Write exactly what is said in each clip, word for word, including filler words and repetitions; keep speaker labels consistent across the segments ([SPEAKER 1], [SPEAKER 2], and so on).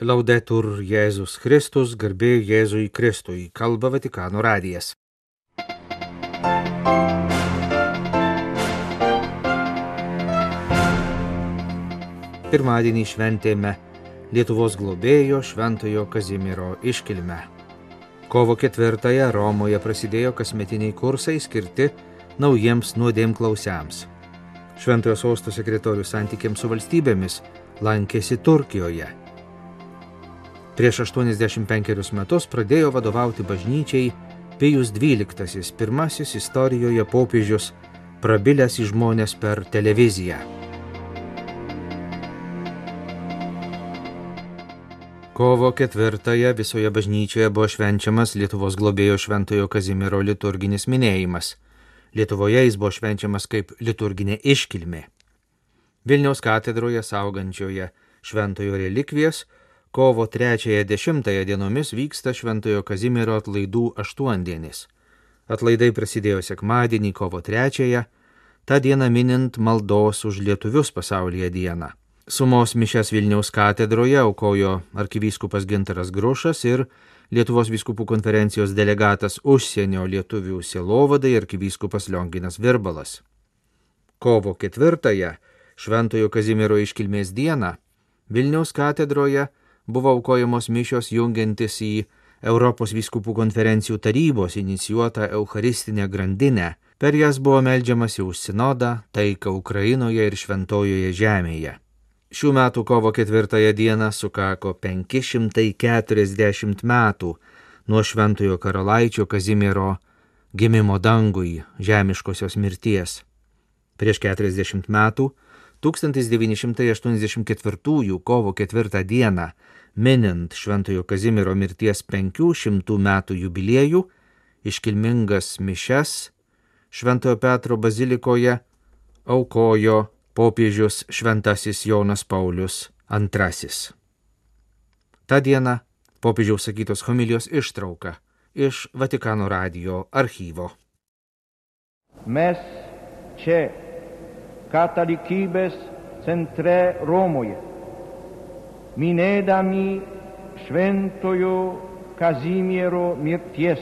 [SPEAKER 1] Laudetur Jėzus Kristus, garbė Jėzui Kristui, kalba Vatikano radijas. Pirmadienį šventėme Lietuvos globėjo Šventojo Kazimiero iškilmę. Kovo ketvirtąją Romoje prasidėjo kasmetiniai kursai skirti naujiems nuodėmklausiams. Šventojo sosto sekretorius santykiams su valstybėmis lankėsi Turkijoje. Prieš aštuoniasdešimt penkerius metus pradėjo vadovauti bažnyčiai Pijus dvyliktasis, pirmasis istorijoje popiežius, prabilęs į žmones per televiziją. Kovo ketvirtąją visoje bažnyčioje buvo švenčiamas Lietuvos globėjo Šventojo Kazimiero liturginis minėjimas. Lietuvoje jis buvo švenčiamas kaip liturginė iškilmė. Vilniaus katedroje saugančioje Šventojo relikvijas kovo trečiąją dešimtąją dienomis vyksta Šventojo Kazimiero atlaidų aštuondienis. Atlaidai prasidėjo sekmadienį kovo trečiąją, tą dieną minint maldos už lietuvius pasaulyje dieną. Sumos mišias Vilniaus katedroje aukojo arkivyskupas Gintaras Grušas ir Lietuvos vyskupų konferencijos delegatas užsienio lietuvių sielovadai arkivyskupas Lionginas Virbalas. Kovo ketvirtąją, Šventojo Kazimiero iškilmės dieną, Vilniaus katedroje buvo aukojamos mišios jungiantis į Europos vyskupų konferencijų tarybos inicijuotą eucharistinę grandinę. Per jas buvo meldžiamasi už sinodą, taiką Ukrainoje ir šventojoje žemėje. Šių metų kovo ketvirtąją dieną sukako penki šimtai keturiasdešimt metų nuo Šventojo karalaičio Kazimiero gimimo dangui, žemiškosios mirties. Prieš keturiasdešimt metų, tūkstantis devyni šimtai aštuoniasdešimt ketvirtųjų kovo ketvirtą dieną, minint Šventojo Kazimiero mirties penkių šimtų metų jubiliejų, iškilmingas mišias Šventojo Petro bazilikoje aukojo popiežius Šventasis Jonas Paulius antrasis. Ta diena popiežiaus sakytos homilijos ištrauka iš Vatikano radijo archyvo.
[SPEAKER 2] Mes čia katalikybės centre Romoje, minėdami Šventojo Kazimiero mirties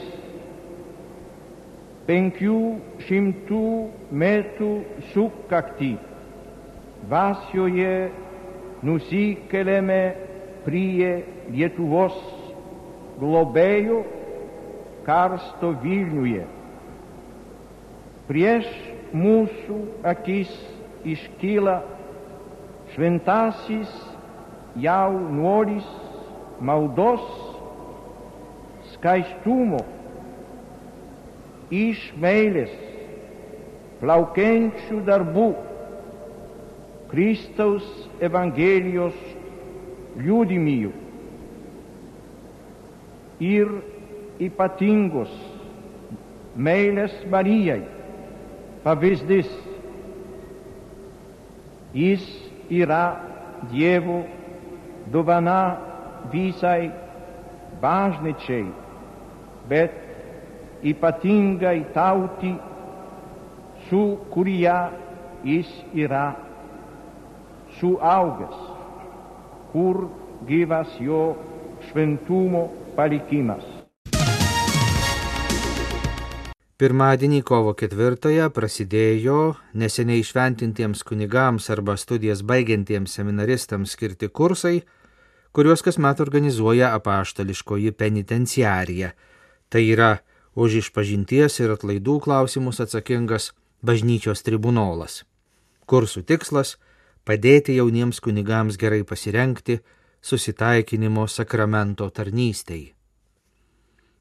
[SPEAKER 2] penkių šimtų metų sukaktį, dvasioje nusikeliame prie Lietuvos globėjo karsto Vilniuje. Prieš mūsų akis iškyla šventasis jaunuolis maldos, skaistumo, iš meilės, plaukiančių darbų, Kristaus Evangelijos liudijimų ir ypatingos meilės Marijai pavyzdys. Jis yra Dievo dovana visai bažnyčiai, bet ypatingai tautai, su kuria jis yra suaugęs, kur gyvas jo šventumo palikimas.
[SPEAKER 1] Pirmadienį kovo ketvirtąją prasidėjo neseniai šventintiems kunigams arba studijas baigiantiems seminaristams skirti kursai, kuriuos kasmet organizuoja apaštališkoji penitenciarija. Tai yra už išpažinties ir atlaidų klausimus atsakingas bažnyčios tribunolas. Kursų tikslas – padėti jauniems kunigams gerai pasirengti susitaikinimo sakramento tarnystei.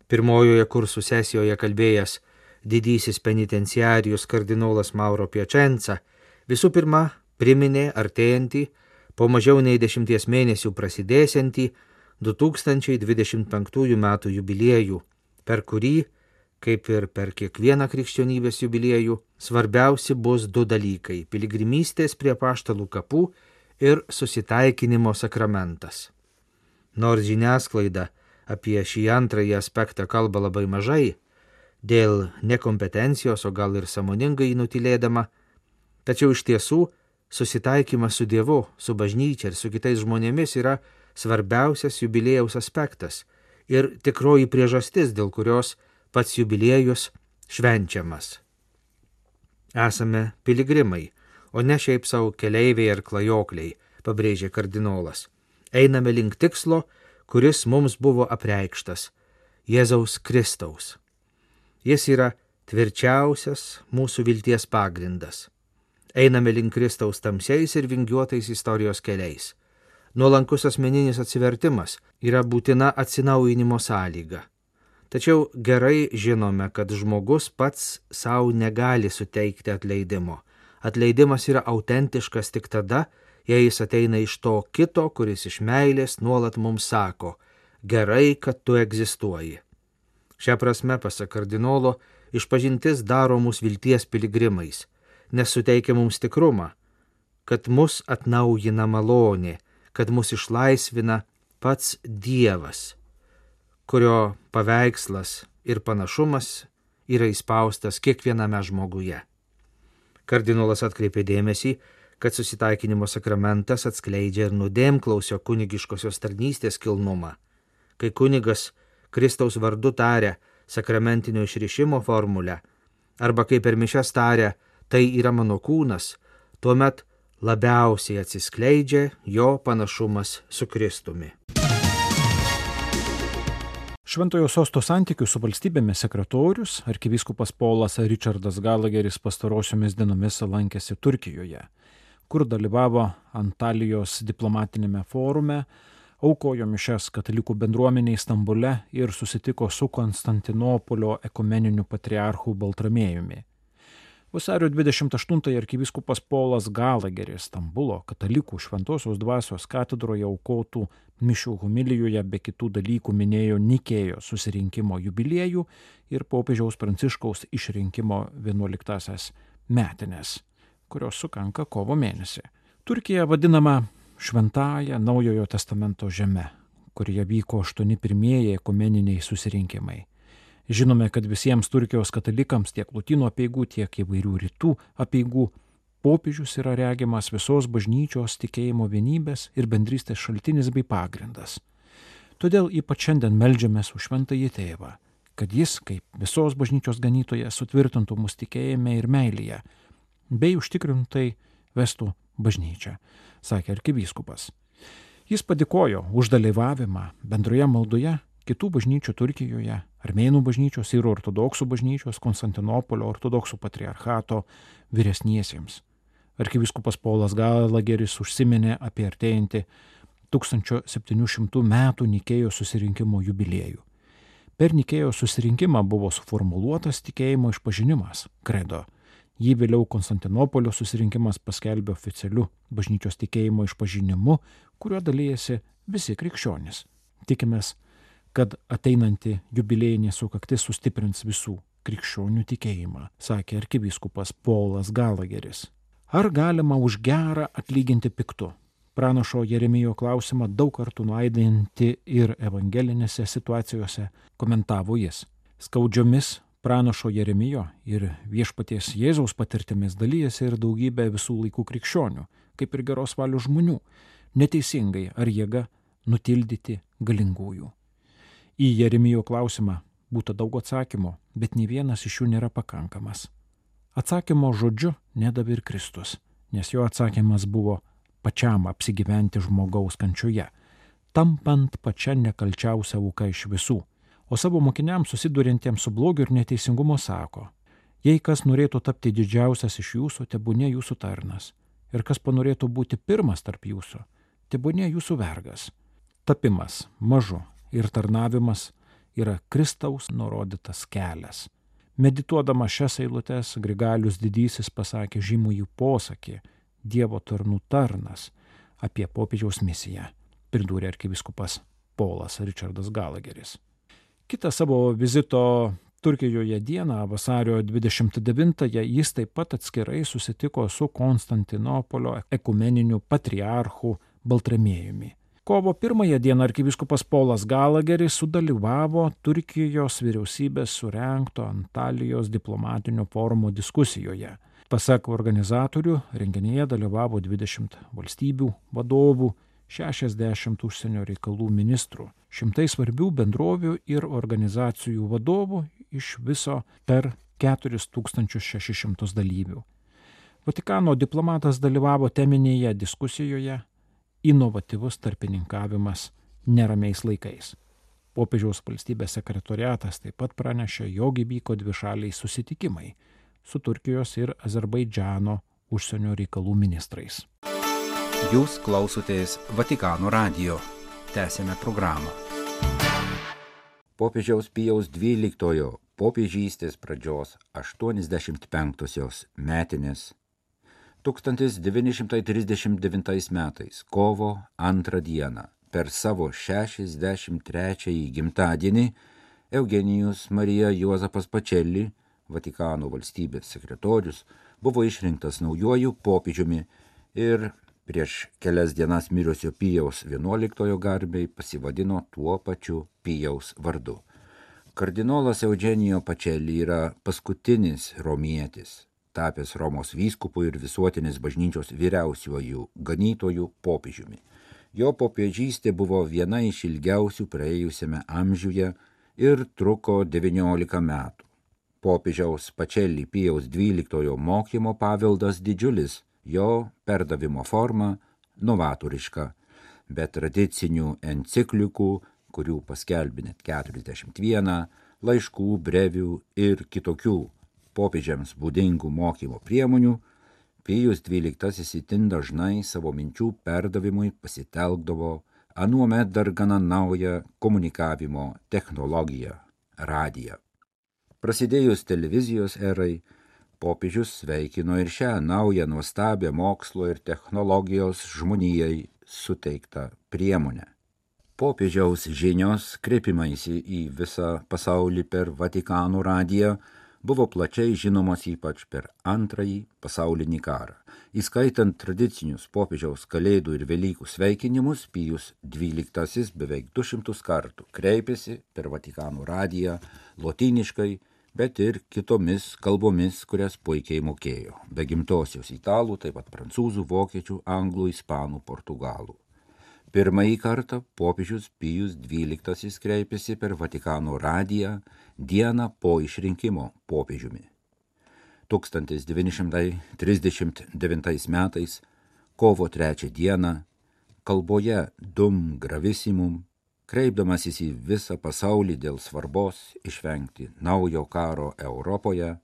[SPEAKER 1] Pirmojoje kursų sesijoje kalbėjęs didysis penitenciarijus kardinolas Mauro Piacenza visų pirma priminė artėjantį, po mažiau nei dešimties mėnesių prasidėsiantį du tūkstančiai dvidešimt penktųjų metų jubiliejų, per kurį, kaip ir per kiekvieną krikščionybės jubiliejų, svarbiausi bus du dalykai – piligrimystės prie apaštalų kapų ir susitaikinimo sakramentas. Nors žiniasklaida apie šį antrąjį aspektą kalba labai mažai, dėl nekompetencijos, o gal ir sąmoningai nutylėdama, tačiau iš tiesų susitaikymas su Dievu, su bažnyčia ir su kitais žmonėmis yra svarbiausias jubiliejaus aspektas ir tikroji priežastis, dėl kurios pats jubiliejus švenčiamas. Esame piligrimai, o ne šiaip savo keleiviai ar klajokliai, pabrėžė kardinolas. Einame link tikslo, kuris mums buvo apreikštas – Jėzaus Kristaus. Jis yra tvirčiausias mūsų vilties pagrindas. Einame link Kristaus tamsiais ir vingiuotais istorijos keliais. Nuolankus asmeninis atsivertimas yra būtina atsinaujinimo sąlyga. Tačiau gerai žinome, kad žmogus pats savo negali suteikti atleidimo. Atleidimas yra autentiškas tik tada, jei jis ateina iš to kito, kuris iš meilės nuolat mums sako, gerai, kad tu egzistuoji. Šią prasme, pasak kardinolo, išpažintis daro mus vilties piligrimais, nes suteikia mums tikrumą, kad mus atnaujina malonė, kad mus išlaisvina pats Dievas, kurio paveikslas ir panašumas yra įspaustas kiekviename žmoguje. Kardinolas atkreipė dėmesį, kad susitaikinimo sakramentas atskleidžia ir nuodėmklausio kunigiškosios tarnystės kilnumą. Kai kunigas Kristaus vardu taria sakramentinio išrišimo formulę, arba kai per mišias taria, tai yra mano kūnas, tuomet labiausiai atsiskleidžia jo panašumas su Kristumi.
[SPEAKER 3] Šventojo sosto santykių su valstybėmis sekretorius, arkivyskupas Polas Richardas Galageris pastarosiomis dienomis lankėsi Turkijoje, kur dalyvavo Antalijos diplomatinėme forume, aukojo mišias katalikų bendruomeniai Stambule ir susitiko su Konstantinopolio ekumeniniu patriarchu Baltramiejumi. Vasario dvidešimt aštuntąją arkivyskupas Polas Galageris Stambulo katalikų Šventosios dvasios katedroje aukotų mišių homilijoje be kitų dalykų minėjo Nikėjos susirinkimo jubiliejų ir popiežiaus Pranciškaus išrinkimo vienuoliktąsias metines, kurios sukanka kovo mėnesį. Turkija vadinama Šventąja Naujojo testamento žeme, kurioje vyko aštuoni pirmieji ekumeniniai susirinkimai. Žinome, kad visiems Turkijos katalikams tiek lotynų apeigų, tiek įvairių rytų apeigų popiežius yra regimas visos bažnyčios tikėjimo vienybės ir bendrystės šaltinis bei pagrindas. Todėl ypač šiandien meldžiamės už Šventąjį Tėvą, kad jis, kaip visos bažnyčios ganytojas, sutvirtintų mus tikėjime ir meilėje, bei užtikrintai vestų bažnyčią, sakė arkivyskupas. Jis padėkojo už dalyvavimą bendroje maldoje kitų bažnyčių Turkijoje, Armėnų bažnyčios ir ortodoksų bažnyčios Konstantinopolio ortodoksų patriarchato vyresniesiems. Arkivyskupas Polas Galageris užsiminė apie artėjantį tūkstančio septynių šimtų metų Nikėjos susirinkimo jubiliejų. Per Nikėjos susirinkimą buvo suformuluotas tikėjimo išpažinimas, kredo. Jį vėliau Konstantinopolio susirinkimas paskelbė oficialiu bažnyčios tikėjimo išpažinimu, kuriuo dalyjasi visi krikščionys. Tikimės, kad ateinanti jubiliejinė sukaktis sustiprins visų krikščionių tikėjimą, sakė arkivyskupas Polas Galageris. Ar galima už gerą atlyginti piktu? Pranašo Jeremijo klausimą daug kartų nuaidinti ir evangelinėse situacijose komentavo jis. Skaudžiomis pranašo Jeremijo ir viešpaties Jėzaus patirtimis dalyjasi ir daugybė visų laikų krikščionių, kaip ir geros valios žmonių, neteisingai ar jėga nutildyti galingųjų. Į Jeremijo klausimą būta daug atsakymų, bet nei vienas iš jų nėra pakankamas. Atsakymo žodžiu nedavė ir Kristus, nes jo atsakymas buvo pačiam apsigyventi žmogaus kančioje, tampant pačia nekalčiausia auka iš visų, o savo mokiniams susiduriantiems su blogiu ir neteisingumu sako, jei kas norėtų tapti didžiausias iš jūsų, tebūnie jūsų tarnas, ir kas panorėtų būti pirmas tarp jūsų, tebūnie jūsų vergas. Tapimas mažu ir tarnavimas yra Kristaus nurodytas kelias. Medituodama šias eilutes, Grigalius didysis pasakė žymųjį posakį Dievo tarnų tarnas apie popiežiaus misiją, pridūrė arkivyskupas Polas Richardas Galageris. Kitą savo vizito Turkijoje dieną, vasario dvidešimt devintąją, jis taip pat atskirai susitiko su Konstantinopolio ekumeniniu patriarchu Baltramiejumi. Kovo pirmąją dieną arkivyskupas Polas Galageris sudalyvavo Turkijos vyriausybės surengto Antalijos diplomatinio forumo diskusijoje. Pasak organizatorių, renginyje dalyvavo dvidešimt valstybių vadovų, šešiasdešimt užsienio reikalų ministrų, šimtai svarbių bendrovių ir organizacijų vadovų iš viso per keturis tūkstančius šešis šimtus dalyvių. Vatikano diplomatas dalyvavo teminėje diskusijoje "Inovatyvus tarpininkavimas neramiais laikais". Popiežiaus valstybės sekretoriatas taip pat pranešė, jog įvyko dvišaliai susitikimai su Turkijos ir Azerbaidžano užsienio reikalų ministrais.
[SPEAKER 4] Jūs klausotės Vatikano radijo. Tęsėme programą. Popiežiaus Pijaus dvyliktojo popiežystės pradžios aštuoniasdešimt penktosios metinės tūkstantis devyni šimtai trisdešimt devintais metais kovo antrą dieną per savo šešiasdešimt trečiąjį gimtadienį Eugenijus Marija Juozapas Pacelli, Vatikano valstybės sekretorius, buvo išrinktas naujuoju popiežiumi ir prieš kelias dienas mirusio Pijaus vienuoliktojo garbei pasivadino tuo pačiu Pijaus vardu. Kardinolas Eugenijo Pacelli yra paskutinis romietis, tapęs Romos vyskupu ir visuotinės bažnyčios vyriausiuoju ganytojų popiežiumi. Jo popiežystė buvo viena iš ilgiausių praėjusiame amžiuje ir truko devyniolika metų. Popiežiaus Pacelli Pijaus dvyliktojo mokymo paveldas didžiulis, jo perdavimo forma novatoriška, be tradicinių enciklikų, kurių paskelbė net keturiasdešimt vieną, laiškų, brevių ir kitokių popiežiams būdingų mokymo priemonių, Pijus dvyliktasis itin dažnai savo minčių perdavimui pasitelkdavo anuomet dar gana naują komunikavimo technologiją – radiją. Prasidėjus televizijos erai, popiežius sveikino ir šią naują nuostabią mokslo ir technologijos žmonijai suteiktą priemonę. Popiežiaus žinios, kreipimaisi į visą pasaulį per Vatikano radiją, buvo plačiai žinomos ypač per antrąjį pasaulinį karą. Įskaitant tradicinius popiežiaus kalėdų ir Velykų sveikinimus, Pijus dvyliktasis beveik du šimtus kartų kreipėsi per Vatikano radiją lotyniškai, bet ir kitomis kalbomis, kurias puikiai mokėjo, be gimtosios italų, taip pat prancūzų, vokiečių, anglų, ispanų, portugalų. Pirmąjį kartą popiežius Pijus dvyliktasis kreipėsi per Vatikano radiją dieną po išrinkimo popiežiumi. tūkstantis devyni šimtai trisdešimt devintais metais, kovo trečią dieną, kalboje Dum Gravissimum, kreipdamasis į visą pasaulį dėl svarbos išvengti naujo karo Europoje,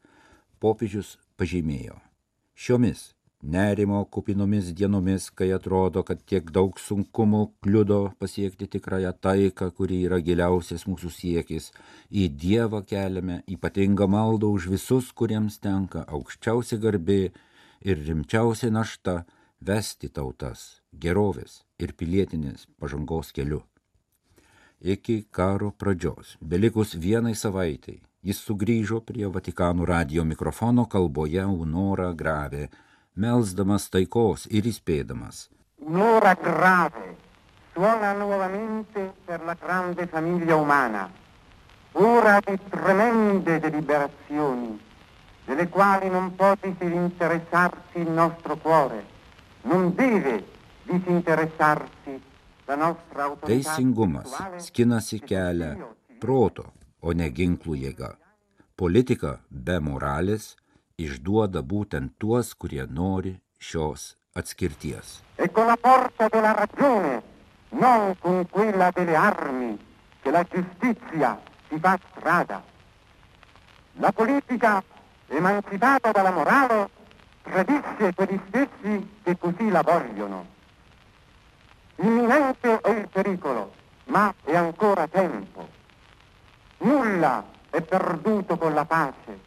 [SPEAKER 4] popiežius pažymėjo: šiomis nerimo kupinomis dienomis, kai atrodo, kad tiek daug sunkumų kliudo pasiekti tikrąją taiką, kuri yra giliausias mūsų siekis, į Dievą keliame ypatingą maldą už visus, kuriems tenka aukščiausia garbė ir rimčiausia našta vesti tautas gerovės ir pilietinės pažangos keliu. Iki karo pradžios, belikus vienai savaitai, jis sugrįžo prie Vatikano radijo mikrofono kalboje Unora Grave, melsdamas taikos ir įspėdamas:
[SPEAKER 5] Un'ora grave suona nuovamente per la grande famiglia umana, ora di tremende deliberazioni, delle quali non può disinteressarsi il nostro cuore, non deve disinteressarsi la nostra autorità.
[SPEAKER 4] Teisingumas skinasi kelią proto, o ne ginklų jėga. Politika be moralės išduoda būtent tuos, kurie nori šios atskirties.
[SPEAKER 5] E con la forza della ragione, non con quella delle armi, che la giustizia si fa strada. La politica, emancipata dalla morale, tradisce quegli stessi che così la vogliono. Imminente è il pericolo, ma è ancora tempo. Nulla è perduto con la pace.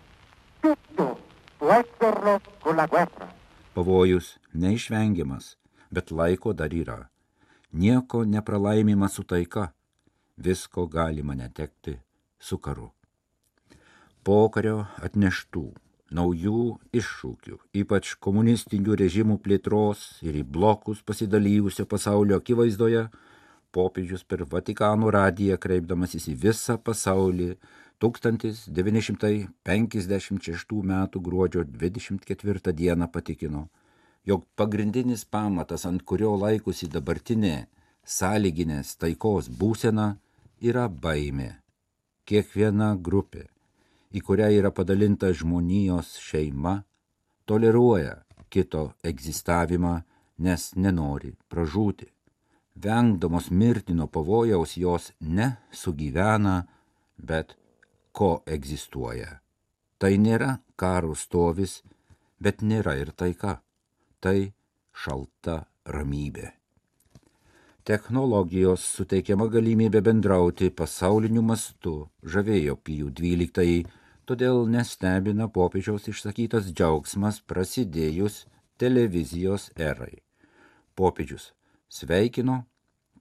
[SPEAKER 5] Tutto può esserlo con la guerra.
[SPEAKER 4] Pavojus neišvengiamas, bet laiko dar yra. Nieko nepralaimima su taika, visko galima netekti su karu. Pokario atneštų naujų iššūkių, ypač komunistinių režimų plėtros ir į blokus pasidalijusio pasaulio akivaizdoje, popiežius per Vatikano radiją kreipdamasis į visą pasaulį tūkstantis devyni šimtai penkiasdešimt šeštų metų gruodžio dvidešimt ketvirtą dieną patikino: jog pagrindinis pamatas, ant kurio laikosi dabartinė sąlyginės taikos būsena, yra baimė. Kiekviena grupė, į kurią yra padalinta žmonijos šeima, toleruoja kito egzistavimą, nes nenori pražūti. Vengdamos mirtino pavojaus jos ne sugyvena, bet koegzistuoja. Tai nėra karo stovis, bet nėra ir taika. Tai šalta ramybė. Technologijos suteikiama galimybė bendrauti pasauliniu mastu žavėjo Pijų dvyliktąjį, todėl nestebina popiežiaus išsakytas džiaugsmas prasidėjus televizijos erai. Popiežius sveikino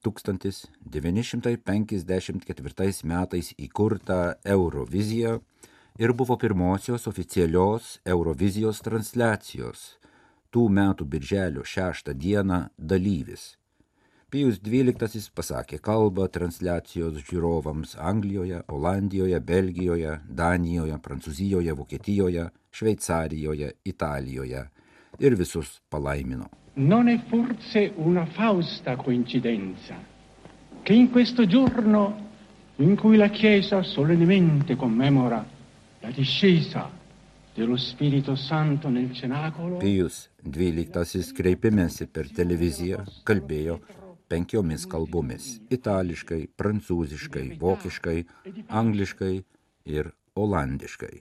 [SPEAKER 4] tūkstantis devyni šimtai penkiasdešimt ketvirtais metais įkurtą Euroviziją ir buvo pirmosios oficialios Eurovizijos transliacijos tų metų birželio šeštą dieną dalyvis. Pijus dvyliktasis pasakė kalbą transliacijos žiūrovams Anglijoje, Olandijoje, Belgijoje, Danijoje, Prancūzijoje, Vokietijoje, Šveicarijoje, Italijoje ir visus palaimino.
[SPEAKER 6] Non è forse una fausta coincidenza che in questo giorno in cui la Chiesa solennemente commemora la discesa dello Spirito Santo nel cenacolo.
[SPEAKER 4] Pijus dvyliktasis kreipimėsi per televiziją kalbėjo penkiomis kalbomis – itališkai, prancūziškai, vokiškai, angliškai ir olandiškai.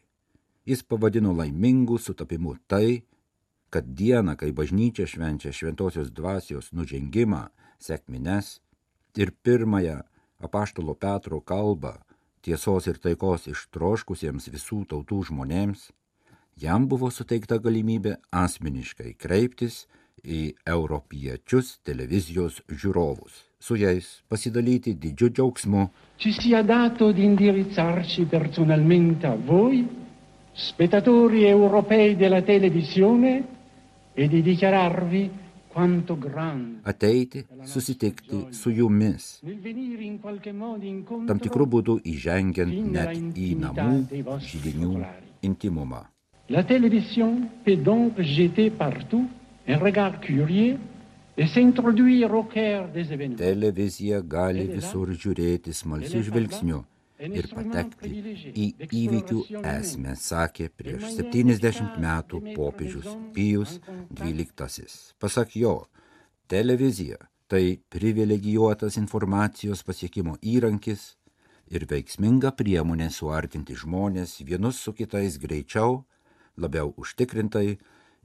[SPEAKER 4] Jis pavadino laimingu sutapimu tai, kad dieną, kai bažnyčia švenčia šventosios dvasios nužengimą, sekmines ir pirmąją apaštalo Petro kalbą tiesos ir taikos ištroškusiems visų tautų žmonėms, jam buvo suteikta galimybė asmeniškai kreiptis į europiečius televizijos žiūrovus, su jais pasidalyti didžiu džiaugsmu.
[SPEAKER 6] Ci sia dato di indirizzarci personalmente a voi, spettatori europei della televisione, e di dichiararvi quanto grande.
[SPEAKER 4] Ateiti, susitikti su jumis, tam tikrų būdų įžengiant net į namų židinių intimumą.
[SPEAKER 6] La télévision peut donc jeter partout un regard curieux et s'introduire au cœur des événements.
[SPEAKER 4] Televizija gali visur žiūrėti smalsiu žvilgsniu ir patekti į įvykių esmę, sakė prieš septyniasdešimt metų popiežius Pijus dvyliktasis. Pasak jo, televizija tai privilegijuotas informacijos pasiekimo įrankis ir veiksminga priemonė suartinti žmonės vienus su kitais greičiau, labiau užtikrintai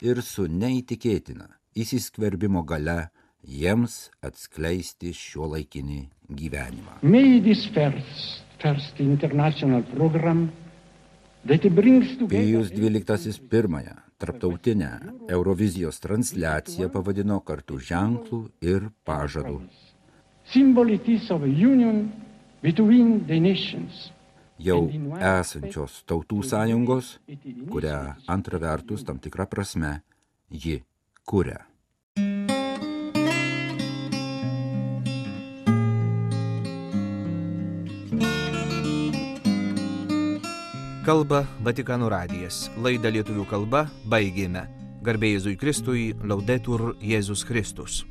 [SPEAKER 4] ir su neįtikėtina įsiskverbimo gale jiems atskleisti šiuolaikinį gyvenimą.
[SPEAKER 6] Medis first, first international program that brings together.
[SPEAKER 4] Pijus dvyliktasis pirmąją tarptautinę Eurovizijos transliaciją pavadino kartu ženklų ir pažadų.
[SPEAKER 6] Symbolities of a union between the nations.
[SPEAKER 4] Jau esančios tautų sąjungos, kurią antra vertus tam tikrą prasme ji kuria.
[SPEAKER 1] Kalba Vatikano radijas. Laidą lietuvių kalba baigėme. Garbė Jėzui Kristui, Laudetur Jėzus Kristus.